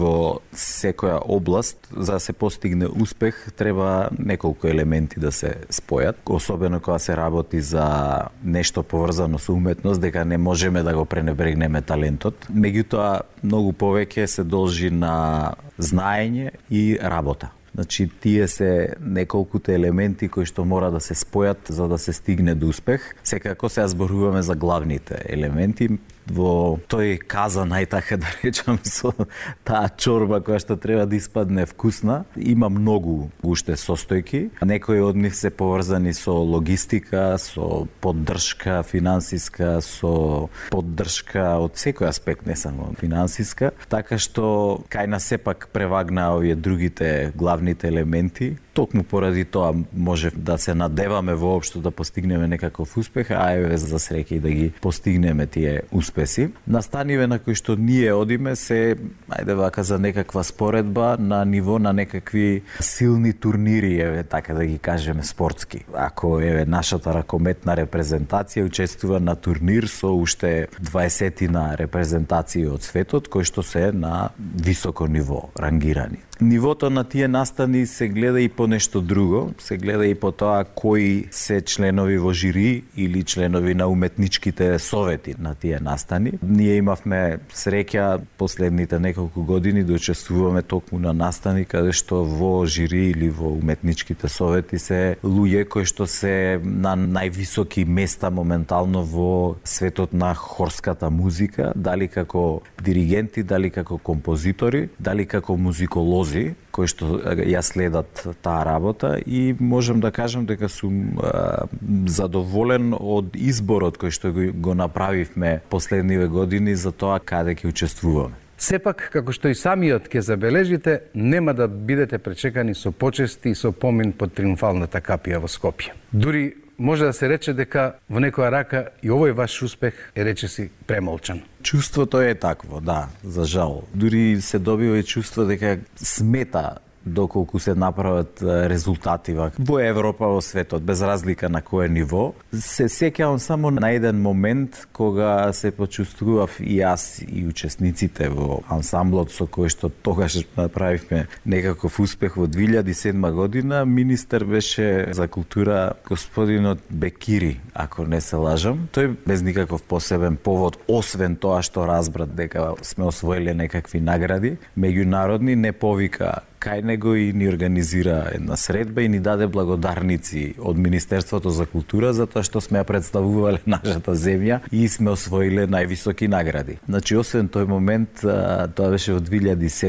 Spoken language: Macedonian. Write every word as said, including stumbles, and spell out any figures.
Во секоја област, за да се постигне успех, треба неколку елементи да се спојат, особено кога се работи за нешто поврзано со уметност, дека не можеме да го пренебрегнеме талентот. Меѓутоа, многу повеќе се должи на знаење и работа. Значи, тие се неколкуте елементи кои што мора да се спојат за да се стигне до успех. Секако се зборуваме за главните елементи. Во тој каза најтака да речам со таа чорба која што треба да испадне вкусна. Има многу уште состојки. Некои од нив се поврзани со логистика, со поддршка финансиска, со поддршка од секој аспект, не само финансиска. Така што кај нас сепак превагна овие другите главните елементи. Токму поради тоа може да се надеваме воопшто да постигнеме некаков успех, а еве за среќа и да ги постигнеме тие успеси. Настаниве на кои што ние одиме се, ајде вака за некаква споредба на ниво на некакви силни турнири, еве така да ги кажеме спортски. Ако еве нашата ракометна репрезентација учествува на турнир со уште дваесетина репрезентации од светот кои што се на високо ниво рангирани. Нивото на тие настани се гледа и по нешто друго, се гледа и по тоа кои се членови во жири или членови на уметничките совети на тие настани. Ние имавме среќа последните неколку години да учествуваме токму на настани каде што во жири или во уметничките совети се луѓе кои што се на највисоки места моментално во светот на хорската музика, дали како диригенти, дали како композитори, дали како музиколози кои што ја следат таа работа и можам да кажам дека сум а, задоволен од изборот кој што го направивме последниве години за тоа каде ќе учествуваме. Сепак, како што и самиот ќе забележите, нема да бидете пречекани со почести и со помин под триумфалната капија во Скопје. Дури може да се рече дека во некоја рака и овој ваш успех е речеси премолчан. Чувството е такво, да, за жал. Дури се добива и чувство дека смета доколку се направат резултати во Европа, во светот, без разлика на кое ниво. Се сеќавам само на еден момент кога се почувствував и јас и учесниците во ансамблот со кој што тогаш направивме некаков успех во две илјади и седма година. Министер беше за култура господинот Бекири, ако не се лажам. Тој без никаков посебен повод, освен тоа што разбра дека сме освоиле некакви награди меѓународни, не повика кај него и ни организира една средба и ни даде благодарници од Министерството за култура за тоа што сме ја представувале нашата земја и сме освоиле највисоки награди. Значи, освен тој момент, тоа беше во две илјади и седма